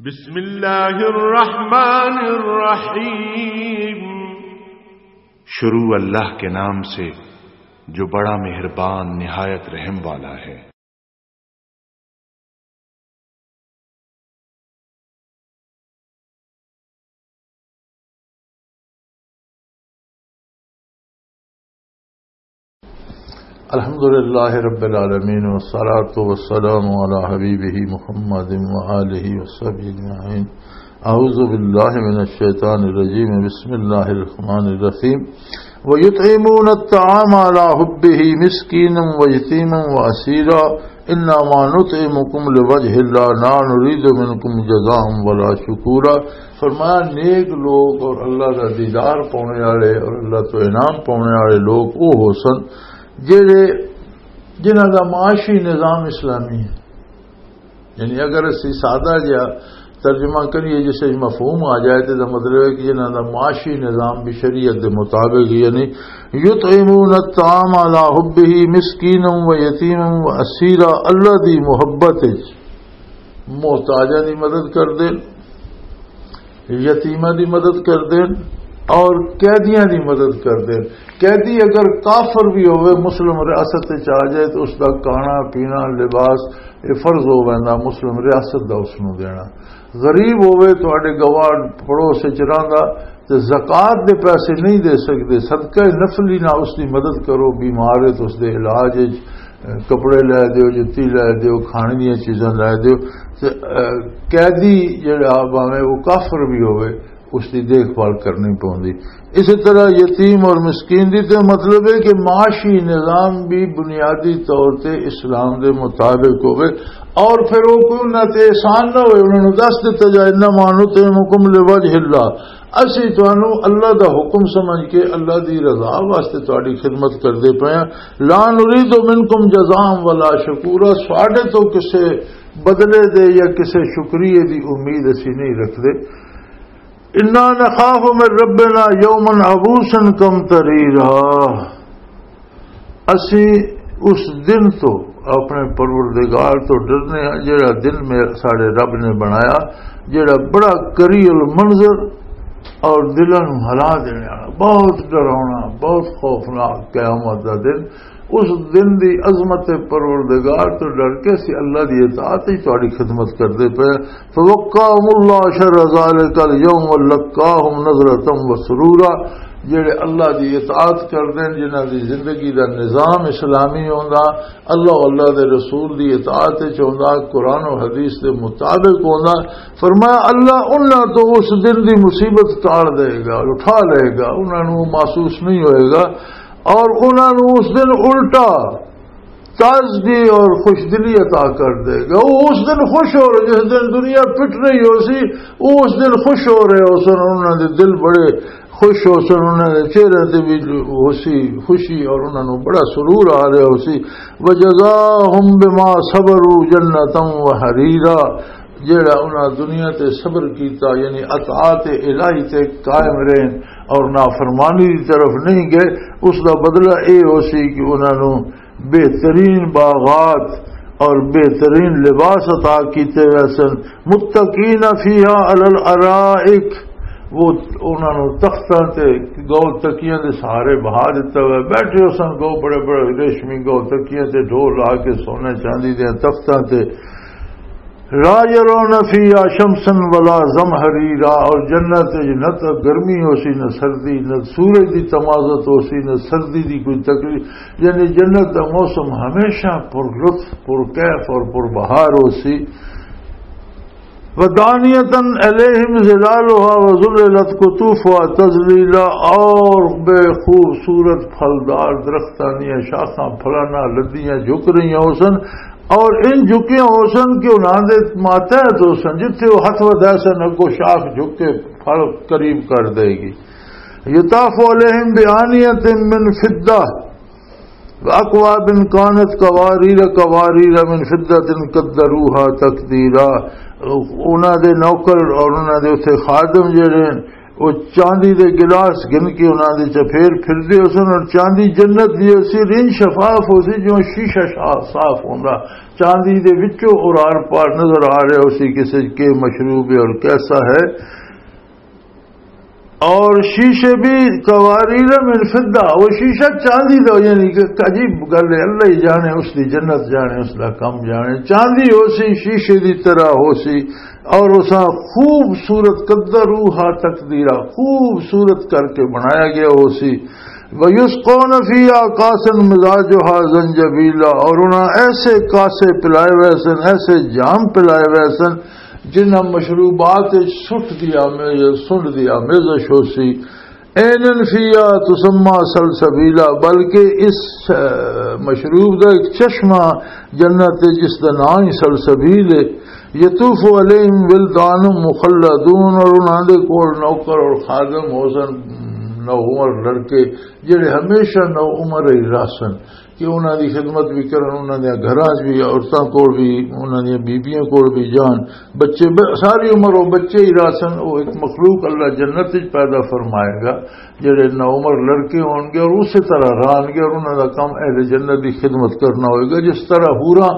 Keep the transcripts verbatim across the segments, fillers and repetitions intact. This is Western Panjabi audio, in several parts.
بسم اللہ الرحمن الرحیم۔ شروع اللہ کے نام سے جو بڑا مہربان نہایت رحم والا ہے۔ الحمد لله رب العالمين، والصلاة والسلام على حبيبه محمد وآله وصحبه أجمعين. أعوذ بالله من الشيطان الرجيم. بسم الله الرحمن الرحيم. ويطعمون الطعام على حبه مسكينا ويتيما وأسيرا. انما نطعمكم لوجه الله لا نريد منكم جزاء ولا شكورا۔ فرمایا، نیک لوگ اور اللہ دا دیدار پانے والے اور اللہ تو انعام پانے والے لوگ وہ ہو سن جڑے، جنہاں دا معاشی نظام اسلامی ہے۔ یعنی اگر اسی سادہ جہا ترجمہ کریے، جس وچ مفہوم آ جائے، تے دا مطلب ہے کہ انہاں دا معاشی نظام بھی شریعت دے مطابق، یعنی یطعمون الطعام علی حبہ مسکینا و یتیما و اسیرا، اللہ دی محبت وچ محتاجاں دی مدد کر دین، یتیماں دی مدد کر دین اور قیدیاں دی مدد کر دین۔ قیدی اگر کافر بھی ہوئے، مسلم ریاست وچ آ جائے، تو اس دا کھانا پینا، لباس، یہ فرض ہو ویندا مسلم ریاست دا اس نوں دینا۔ غریب ہوئے، تہاڈے گوار پڑوس وچ رہندا، تے زکوٰۃ دے پیسے نہیں دے سکدے، صدقہ نفلی نہ اس دی مدد کرو، بیمار ہے تو اس دے علاج وچ، اے، کپڑے لے دیو، جتی لے دیو، کھانے دیاں چیزاں لے دیو۔ تے، اے، قیدی جڑا، بھاویں وہ کافر بھی ہوئے، اس دی دیکھ بھال کرنی پوندی۔ اسی طرح یتیم اور مسکین دی تے مطلب ہے کہ معاشی نظام بھی بنیادی طور تے اسلام دے مطابق ہوئے، اور پھر وہ کوئی انہاں تے احسان نہ ہوئے، انہاں نوں دس دتا جائے، "انما نطعمکم لوجہ اللہ"، اسی تانوں اللہ دا حکم سمجھ کے اللہ دی رضا واسطے تہاڈی خدمت کردے پئے ہاں۔ "لا نريد منکم جزاء ولا شکورا"، ساڈے تو کسے بدلے دے یا کسے شکریہ دی امید اسی نہیں رکھدے۔ "انا نخاف من ربنا یوما عبوسا قمطریرا"، اسی اس دن تو، اپنے پروردگار تو ڈرنے ہاں، جڑا دن میں ساڈے رب نے بنایا، جڑا بڑا کری المنظر اور دلاں نوں ہلا دینے والا، بہت ڈراونا، بہت خوفناک قیامت دا دن۔ اس دن دی عظمت پروردگار تو ڈر کے اسی اللہ دی اطاعت ہی تہاڈی خدمت کردے پئے۔ فوقاهم الله شر ذلك اليوم ولقاهم نظرة وسرورا۔ جڑے اللہ دی اطاعت کردے نے، جنہاں دی زندگی دا نظام اسلامی ہوندا، اللہ، اللہ دے رسول دی اطاعت وچ ہوندا، قرآن و حدیث دے مطابق ہوندا، فرمایا، اللہ انہاں تو اس دن دی مصیبت ٹال دے گا، اٹھا لے گا، انہاں نوں محسوس نہیں ہوئے گا، اور انہاں نوں اس دن الٹا تازگی اور خوش دلی عطا کر دے گا۔ وہ اس دن خوش ہو رہے، جس دن دنیا پٹ رہی ہو سی، وہ اس دن خوش ہو رہے ہو سن، انہاں دے دل بڑے خوش ہو سن، انہاں دے چہرے تے بھی ہو سی خوشی اور انہاں نوں بڑا سرور آ رہا ہو سی۔ وجزاهم بما صبروا جنة وحريرا، جیڑا انہاں دنیا تے صبر کیتا، یعنی اطاعت الہی تے قائم رہن اور نافرمانی دی طرف نہیں گئے، اس دا بدلہ اے ہو سی کہ انہاں نوں بہترین باغات اور بہترین لباس عطا کیتے ہوئے سن۔ متقین فیہا علی الارائک، وہ انہاں نوں تختاں تے، گول تکیاں دے سہارے بہا دتا ہوا، بیٹھے ہو سن گو، بڑے بڑے ریشمی گول تکیاں تے، ڈھول لا کے سونے چاندی دے تختاں تے۔ لا يرون فيها شمسا ولا زمهريرا، اور جنت وچ نہ تو گرمی ہو سی، نہ سردی، نہ سورج دی تمازت ہو سی، نہ سردی دی کوئی تکلیف۔ یعنی جنت دا موسم ہمیشہ پر لطف، پر کیف اور پر بہار ہو سی۔ ودانیة علیہم ظلالها وظللت قطوفها تذلیلا، اور بے خوبصورت پھلدار درختاں دیاں شاخاں پھلاں نال لدیاں جھک رہیاں ہو سن، اور ان جھکیاں ہو سن کہ انہاں دے ماتحت ہو سن، جتھے وہ ہتھ ودھا سن، اگوں شاخ جھک کے پھل قریب کر دے گی۔ یطاف علیہم بآنیۃ من فضۃ وأكواب كانت قوارير قوارير من فضة قدروها تقديرا۔ انہاں دے نوکر اور انہاں دے اتھے خادم جڑے ہن، وہ چاندی دے گلاس گن کے انہاں دے چ پھیر پھردے ہو سن، اور چاندی جنت دی ہو سی، رن شفاف ہو سی، جو شیشہ شا-، صاف ہوندا۔ چاندی دے وچوں اور آر پار نظر آ رہے ہو سی کسے کے مشروب ہے اور کیسا ہے۔ اور شیشے بھی قواریر من فضہ، وہ شیشہ چاندی دا، یعنی کہ عجیب گل ہے، اللہ ہی جانے اس دی جنت، جانے اس دا کم جانے۔ چاندی ہو سی، شیشے دی طرح ہو سی، اور اساں خوبصورت، قدروہا تقدیرا، خوبصورت کر کے بنایا گیا ہو سی۔ وَيُسْقَوْنَ فِيهَا كَأْسًا مِزَاجُهَا زَنْجَبِيلًا، اور انہاں ایسے کاسے پلائے ہوئے سن، ایسے جام پلائے ہوئے سن، جنہاں مشروبات وچ سٹ دی آمے-، سنڈ دی آمیزش ہو سی۔ عَيْنًا فِيهَا تُسَمَّىٰ سَلْسَبِيلًا، بلکہ اس، اے، مشروب دا ایک چشمہ جنت ہے جس دا نام ہی سلسبیل ہے۔ يَطُوفُ عَلَيْهِمْ وِلْدَانٌ مُّخَلَّدُونَ، اور انہاں دے کول نوکر اور خادم ہو سن، نو عمر لڑکے، جڑے ہمیشہ نو عمر ہی رہ سن، کہ انہاں دی خدمت بھی کرن، انہاں دے گھراں 'چ بھی، عورتاں کول بھی، انہاں دیاں بیبیاں کول بھی جان، بچے ب-، ساری عمر وہ بچے ہی رہ سن۔ وہ ایک مخلوق اللہ جنت وچ پیدا فرمائے گا، جڑے نو عمر لڑکے ہون گے اور اسی طرح رہن گے، اور انہاں دا کام اہل جنت دی خدمت کرنا ہوئے گا۔ جس طرح حوراں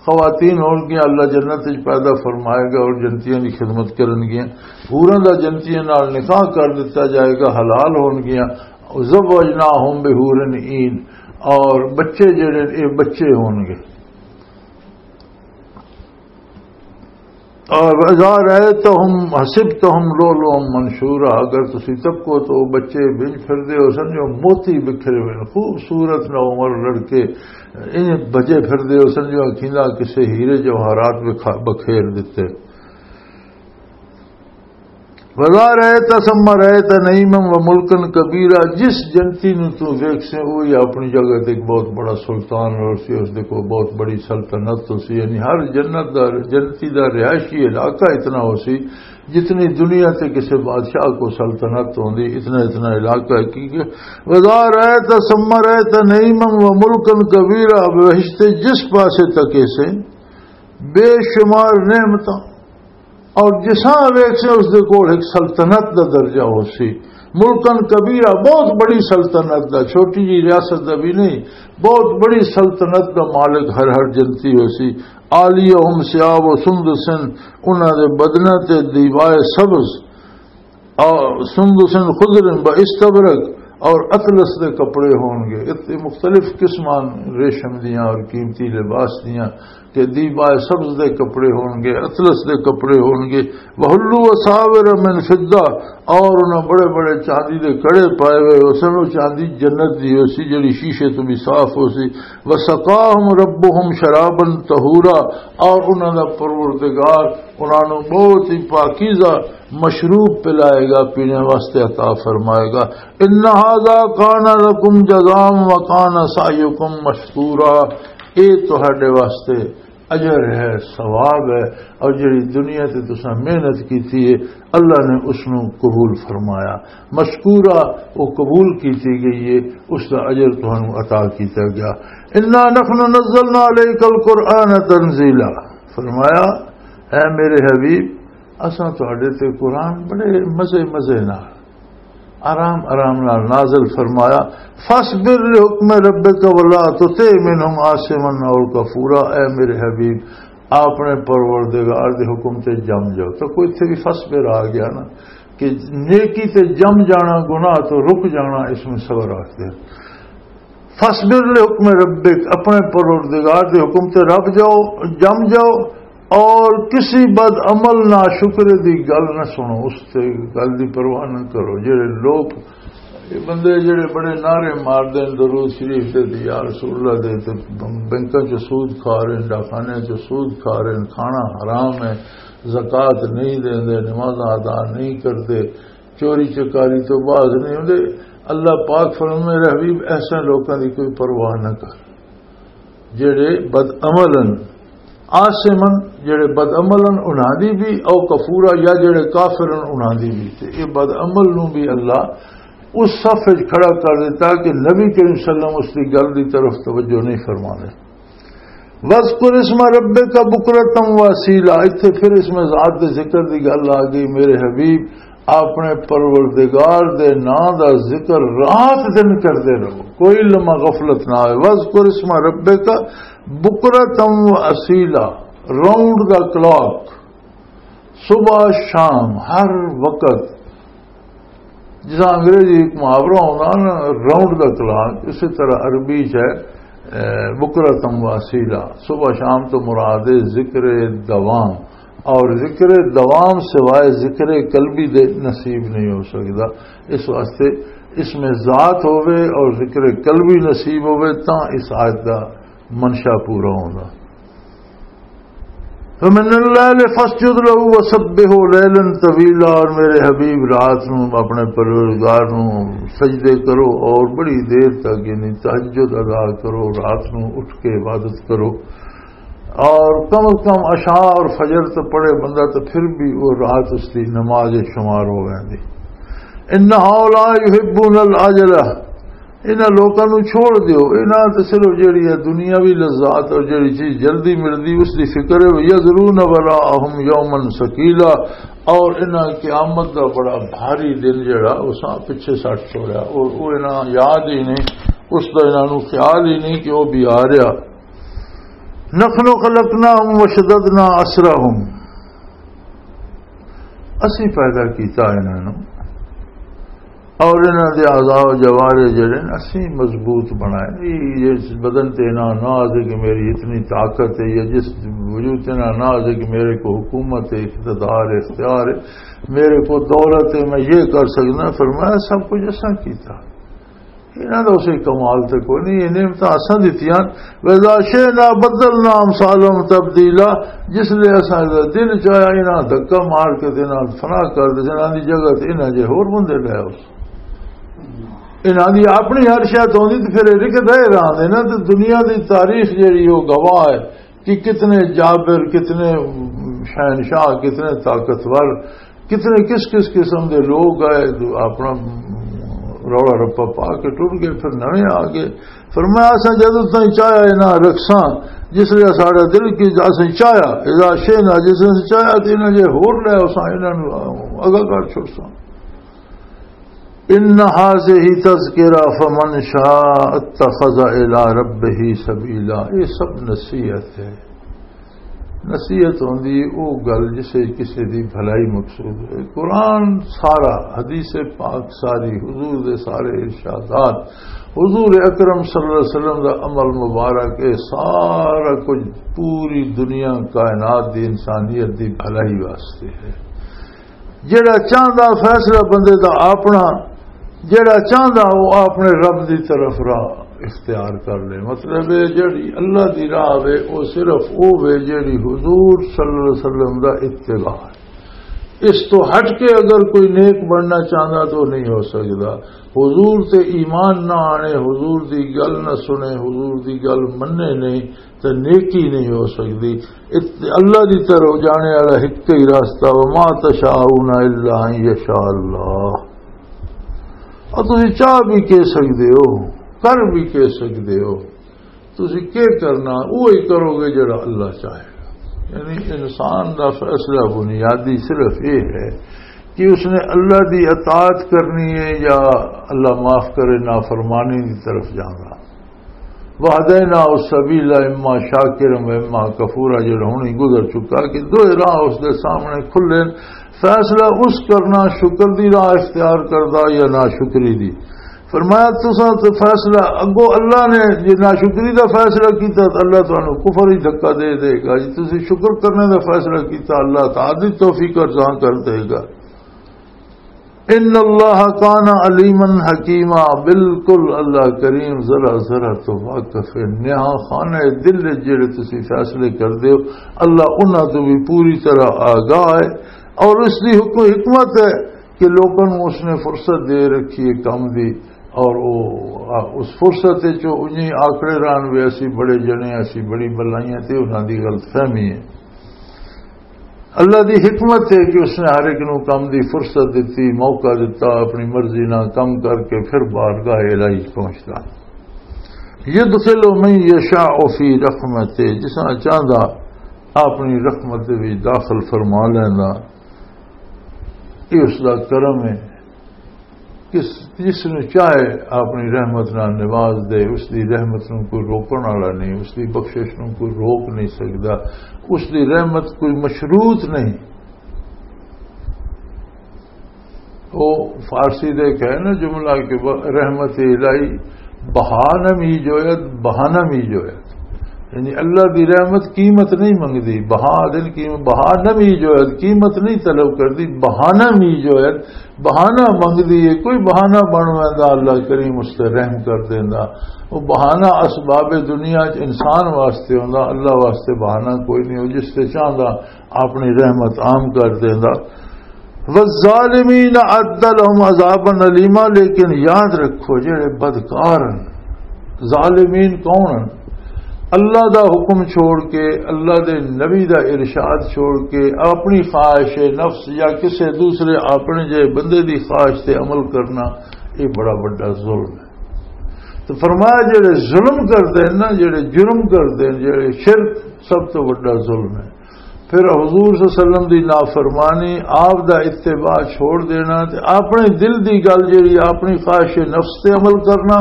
خواتین ہون گیاں، اللہ جنت وچ پیدا فرمائے گا اور جنتیاں دی خدمت کرن گیاں۔ حوراں دا جنتیاں نال نکاح کر دتا جائے گا، حلال ہون گیاں۔ وَزَوَّجْنَاهُم بِحُورٍ عِينٍ، اور بچے جڑے، اے بچے ہون گے۔ اور اذا رأيتهم حسبتهم لؤلؤا منثورا، اگر تسی تکو تو بچے بج پھردے ہو سن جو موتی بکھرے ہوئے، خوبصورت نو عمر لڑکے ان بجے پھردے ہو سن جو اکھیندا کسے ہیرے جواہرات بکھا-، بکھیر دتے۔ وَإِذَا رَأَيْتَ ثَمَّ رَأَيْتَ نَعِيمًا وَمُلْكًا كَبِيرًا، جس جنتی نو تو ویکھ سے، وہی اپنی جگہ تے ایک بہت بڑا سلطان اور سی، اس دے کو بہت بڑی سلطنت تو سی۔ یعنی ہر جنت دا، جنتی دا رہائشی علاقہ اتنا ہو سی، جتنی دنیا تے کسی بادشاہ کو سلطنت ہوندی، اتنا، اتنا علاقہ ہے۔ کیونکہ وَإِذَا رَأَيْتَ ثَمَّ رَأَيْتَ نَعِيمًا وَمُلْكًا كَبِيرًا، بہشت جس پاسے تک اسے بے شمار نعمتاں اور جساں ویکھ سے اس دے کول ایک سلطنت دا درجہ ہو سی، ملکن کبیرہ، بہت بڑی سلطنت دا، چھوٹی جی ریاست دا بھی نہیں، بہت بڑی سلطنت دا مالک ہر ہر جنتی ہو سی۔ عالیہم ثیاب سندس، انہاں دے بدناں تے دیبائے سبز، اور سندس خضر و استبرق، اور اطلس دے کپڑے ہون گے۔ ات-، مختلف قسمان ریشم دیاں اور قیمتی لباس دیاں، کہ دیبائے سبز دے کپڑے ہون گے، اطلس دے کپڑے ہون گے۔ وحلوا اساور من فضہ، اور انہاں بڑے بڑے چاندی دے کڑے پائے ہوئے ہو سن، وہ چاندی جنت دی ہو سی، جڑی شیشے تو بھی صاف ہو سی۔ وسقاہم ربہم شرابا طہورا، اور انہاں دا پروردگار انہاں نوں بہت ہی پاکیزہ مشروب پلائے گا، پینے واسطے عطا فرمائے گا۔ ان ھذا کان لکم جزاء وکان سعیکم مشکورا، اے تہاڈے واسطے اجر ہے، ثواب ہے، اور جڑی دنیا تے تساں محنت کیتی ہے، اللہ نے اس نوں قبول فرمایا۔ مشکورا، وہ قبول کیتی گئی ہے، اس دا اجر تہانوں عطا کیتا گیا۔ انا نحن نزلنا علیک القرآن تنزیلا، فرمایا، اے میرے حبیب، اساں تہاڈے تے قرآن بڑے مزے مزے نال، آرام آرام نال نازل فرمایا۔ فاصبر لحکم ربک ولا تطع منهم آثما او کفورا، اے میرے حبیب، اپنے پروردگار دے حکم تے جم جاؤ۔ تو کوئی اتھے بھی فاصبر آ گیا نا، کہ نیکی تے جم جانا، گناہ تو رک جانا، اس میں صبر آخر۔ فاصبر لحکم ربک، اپنے پروردگار دے حکم تے رب جاؤ، جم جاؤ، اور کسی بد عمل ناشکرے دی گل نہ سنو، اس تے گل دی پرواہ نہ کرو۔ جڑے لوگ، یہ بندے جڑے بڑے نعرے مار دین درود شریف دے تے یا رسول اللہ دے، تے بینکاں چ سود کھا رہے ہیں، ڈاکخانے چ سود کھا رہے ہیں، کھانا حرام ہے، زکوٰۃ نہیں دیندے، نمازاں ادا نہیں کرتے، چوری چکاری تو باز نہیں ہوندے۔ اللہ پاک فرمائے، میرے حبیب، ایسے لوکاں دی کوئی پرواہ نہ کر، جڑے بد عمل ہن، آثمن، جڑے بد عمل ہن انہاں دی بھی، او کفورا، یا جڑے کافر ہن انہاں دی بھی۔ تے یہ بد عمل نوں بھی اللہ اس صف وچ کھڑا کر دیتا کہ نبی کریم صلی اللہ علیہ وسلم اس دی گل دی طرف توجہ نہیں فرمانے۔ وَاذْكُرِ اسْمَ رَبِّكَ بُكْرَةً وَأَصِيلًا، اتھے پھر اس میں ذات دے ذکر دی گل آ گئی، میرے حبیب، اپنے پروردگار دے نام دا ذکر رات دن کردے رہو، کوئی لمحہ غفلت نہ ہوئے۔ وَاذْكُرِ اسْمَ رَبِّكَ بُكْرَةً وَأَصِيلًا، راؤنڈ دا کلاک، صبح شام ہر وقت۔ جس انگریزی ایک محاورہ ہونا نا، راؤنڈ دا کلاک، اسی طرح عربی چ ہے، اے، بکرتم واسیلا، صبح شام تو مراد ہے ذکر دوام، اور ذکر دوام سوائے ذکر قلبی دے نصیب نہیں ہو سکتا۔ اس واسطے اس میں ذات ہوئے اور ذکر قلبی نصیب ہوئے، تاں اس آیت دا منشا پورا ہونا۔ فَمِنَ اللَّيْلِ فَاسْجُدْ لَهُ وَسَبِّحْهُ لَيْلًا طَوِيلًا، اور میرے حبیب، رات نو اپنے پروردگار نو سجدے کرو اور بڑی دیر تک، یعنی تہجد ادا کرو، رات نو اٹھ کے عبادت کرو۔ اور کم از کم عشاء اور فجر تو پڑھے بندہ، تو پھر بھی وہ رات اس کی نماز شمار ہو جاندی۔ إِنَّ هَٰؤُلَاءِ يُحِبُّونَ الْعَاجِلَةَ، انہاں لوکاں نوں چھوڑ دیو، انہاں تے صرف جڑی ہے دنیاوی لذات اور جڑی چیز جلدی ملدی، اس دی فکر ہے۔ وَيَذَرُونَ وَرَاءَهُمْ يَوْمًا ثَقِيلًا، اور انہاں قیامت دا بڑا بھاری دن جڑا اساں پچھے سٹ چھوڑیا، اور وہ انہاں یاد ہی نہیں، اس دا انہاں نوں خیال ہی نہیں کہ وہ بھی آ رہا۔ نَحْنُ خَلَقْنَاهُمْ وَشَدَدْنَا أَسْرَهُمْ، اسی پیدا کیتا انہاں نوں، اور انہاں دے اعضاء و جوارح جڑے نے، اسی مضبوط بنائے۔ یہ جس بدن تے انہاں ناز ہے کہ میری اتنی طاقت ہے، یا جس وجود تے انہاں ناز ہے کہ میرے کو حکومت ہے، اقتدار ہے، اختیار ہے، میرے کو دولت ہے، میں یہ کر سکنا، فرمایا سب کچھ اساں کیتا۔ انہاں دا اسے کمال تے کوئی نہیں، یہ نعمتاں اساں دتیاں۔ وَإِذَا شِئْنَا بَدَّلْنَا أَمْثَالَهُمْ تَبْدِيلًا، جس لے اساں دا دل چاہیا، انہاں دھکا مار کے تے انہاں فنا کر دے، انہاں دی جگہ تے انہاں جے ہور بندے لے آؤ۔ انہاں دی اپنی ہر شے تو ہوندی تے پھر یہ رکدے رہندے نا۔ تے دنیا دی تاریخ جیڑی، وہ گواہ ہے کہ کتنے جابر، کتنے شہنشاہ، کتنے طاقتور، کتنے کس کس قسم دے لوگ آئے، اپنا رولا رپا پا کے ٹر گئے، پھر نویں آ گئے۔ فرمایا، اساں جدوں تائیں چاہیا انہاں رکھساں، جس لے ساڈا دل کی اساں چاہیا، اذا شئنا، جس لے چاہیا تے انہاں جے ہور لے اساں انہاں نوں اگا کر چھڑساں۔ ان هذه تذکرہ فمن شاء اتخذ الی ربہ سبیلا، یہ سب نصیحت ہے۔ نصیحت ہوندی او گل جسے کسے دی بھلائی مقصود ہوئے۔ قرآن سارا، حدیث پاک ساری، حضور دے سارے ارشادات، حضور اکرم صلی اللہ علیہ وسلم دا عمل مبارک، اے سارا کچھ پوری دنیا کائنات دی انسانیت دی بھلائی واسطے ہے۔ جڑا چاہندا فیصلہ بندے دا اپنا، جڑا چاہندا وہ اپنے رب دی طرف راہ اختیار کر لے۔ مطلب ہے جڑی اللہ دی راہ وے، وہ صرف وہ وے جڑی حضور صلی اللہ علیہ وسلم دا اتباع ہے۔ اس تو ہٹ کے اگر کوئی نیک بننا چاہندا تو نہیں ہو سکدا۔ حضور تے ایمان نہ آنے، حضور دی گل نہ سنے، حضور دی گل مننے نہیں، تے نیکی نہیں ہو سکدی۔ ات-، اللہ دی طرف جانے والا ایک ہی راستہ، وما تشاءون الا ان یشاء اللہ۔ اور تسی چاہ بھی کہہ سکدے ہو، کر بھی کہہ سکدے ہو، تسی کی کرنا، وہی کرو گے جڑا اللہ چاہے گا۔ یعنی انسان دا فیصلہ بنیادی صرف یہ ہے کہ اس نے اللہ دی اطاعت کرنی ہے یا، اللہ معاف کرے، نافرمانی دی طرف جانا۔ وَهَدَيْنَاهُ السَّبِيلَ إِمَّا شَاكِرًا وَإِمَّا كَفُورًا، جڑا ہن ہی گزر چکا کہ دو راہ اس دے سامنے کھلے۔ فیصلہ اس کرنا، شکر دی راہ اختیار کردا یا ناشکری دی۔ فرمایا، تساں تے فیصلہ اگو اللہ نے، جے ناشکری دا فیصلہ کیتا تو اللہ تانوں کفر ہی دھکا دے دے گا۔ جے تسی شکر کرنے دا فیصلہ کیتا، اللہ تعالی توفیق عطا کر دے گا۔ ان اللہ کان علیما حکیما، بالکل اللہ کریم ذرا ذرا تو واقف ہے۔ نہاں خانہ دل وچ جڑے تسی فیصلے کردے ہو، اللہ انہاں تو بھی پوری طرح آگاہ ہے۔ اور اس دی حکم-، حکمت ہے کہ لوکاں نوں اس نے فرصت دے رکھی ہے کم دی، اور او، آ، اس فرصت وچ او انہی آکڑے رہن وے، اسی بڑے جنے، اسی بڑی بلائیاں تے انہاں دی غلط فہمی ہے۔ اللہ دی حکمت ہے کہ اس نے ہر ایک نوں کم دی فرصت دتی، موقع دتا، اپنی مرضی نال کم کر کے پھر بارگاہ الہی پہنچدا۔ یدخل من یشاء فی رحمتہ، جس نال چاہندا اپنی رحمت دے وچ داخل فرما لیندا۔ یہ اس کا کرم ہے۔ کس جس نو چاہے اپنی رحمت نال نواز دے، اس دی رحمت نو کوئی روکن والا نہیں، اس دی بخشش نو کوئی روک نہیں سکدا، اس دی رحمت کوئی مشروط نہیں۔ وہ فارسی دے کہے نا جملہ کہ ب- رحمت الہی بہا نہ می جوید، بہانہ می جوید۔ یعنی اللہ دی رحمت قیمت نہیں منگدی، بہا دن قیمت، بہا نہ می جوید، قیمت نہیں طلب کردی، بہانہ می جوید، بہانہ منگدی ہے۔ کوئی بہانہ بن ویندا، اللہ کریم اس تے رحم کر دیندا۔ وہ بہانہ اسباب دنیا چ انسان واسطے ہوندا، اللہ واسطے بہانہ کوئی نہیں۔ وہ جس تے چاہندا اپنی رحمت عام کر دیندا۔ والظالمین اعد لهم عذابا الیما، لیکن یاد رکھو جڑے بدکار ہیں، ظالمین کون ہیں؟ اللہ دا حکم چھوڑ کے، اللہ دے نبی دا ارشاد چھوڑ کے، اپنی خواہش نفس یا کسے دوسرے اپنے جے بندے دی خواہش تے عمل کرنا، یہ بڑا بڑا ظلم ہے۔ تو فرمایا جڑے ظلم کردے ہیں نا، جڑے جرم کردے ہیں، جڑے شرک، سب تو بڑا ظلم ہے۔ پھر حضور صلی اللہ علیہ وسلم دی نافرمانی، آپ دا اتباع چھوڑ دینا تے اپنے دل دی گل جڑی اپنی خواہش نفس تے عمل کرنا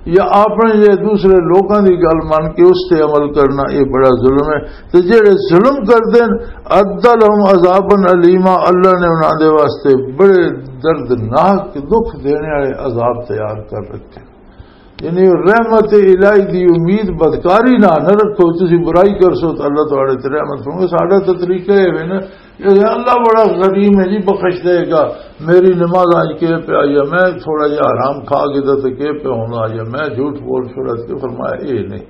یا اپنے جے دوسرے لوکاں دی گل من کے اس تے عمل کرنا، یہ بڑا ظلم ہے۔ تے جڑے ظلم کردے ہیں، اعد لهم عذابا الیما، اللہ نے انہاں دے واسطے بڑے دردناک دکھ دینے والے عذاب تیار کر رکھے۔ یعنی رحمت الہی دی امید بدکاری نہ نہ رکھو۔ تسی برائی کرسو تو اللہ تہاڈے تے رحمت فرمائے۔ ساڈا تو طریقہ یہ ہے نا، یہ اللہ بڑا کریم ہے جی، بخش دے گا۔ میری نماز آج کے پہ آئی ہے، میں تھوڑا جہا حرام کھا کے تو کے پہ ہونا آئی ہے، میں جھوٹ بول چھوڑا، تو فرمایا یہ نہیں۔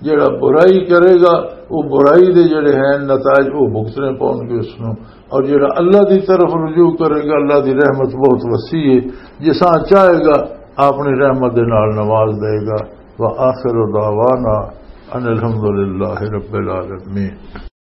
جڑا برائی کرے گا، وہ برائی دے جڑے ہیں نتائج، وہ بھگتنے پاؤں گے اس نوں۔ اور جڑا اللہ دی طرف رجوع کرے گا، اللہ دی رحمت بہت وسیع ہے، جساں چاہے گا اپنی رحمت دے نال نواز دے گا۔ وآخر دعوانا ان الحمدللہ رب العالمین۔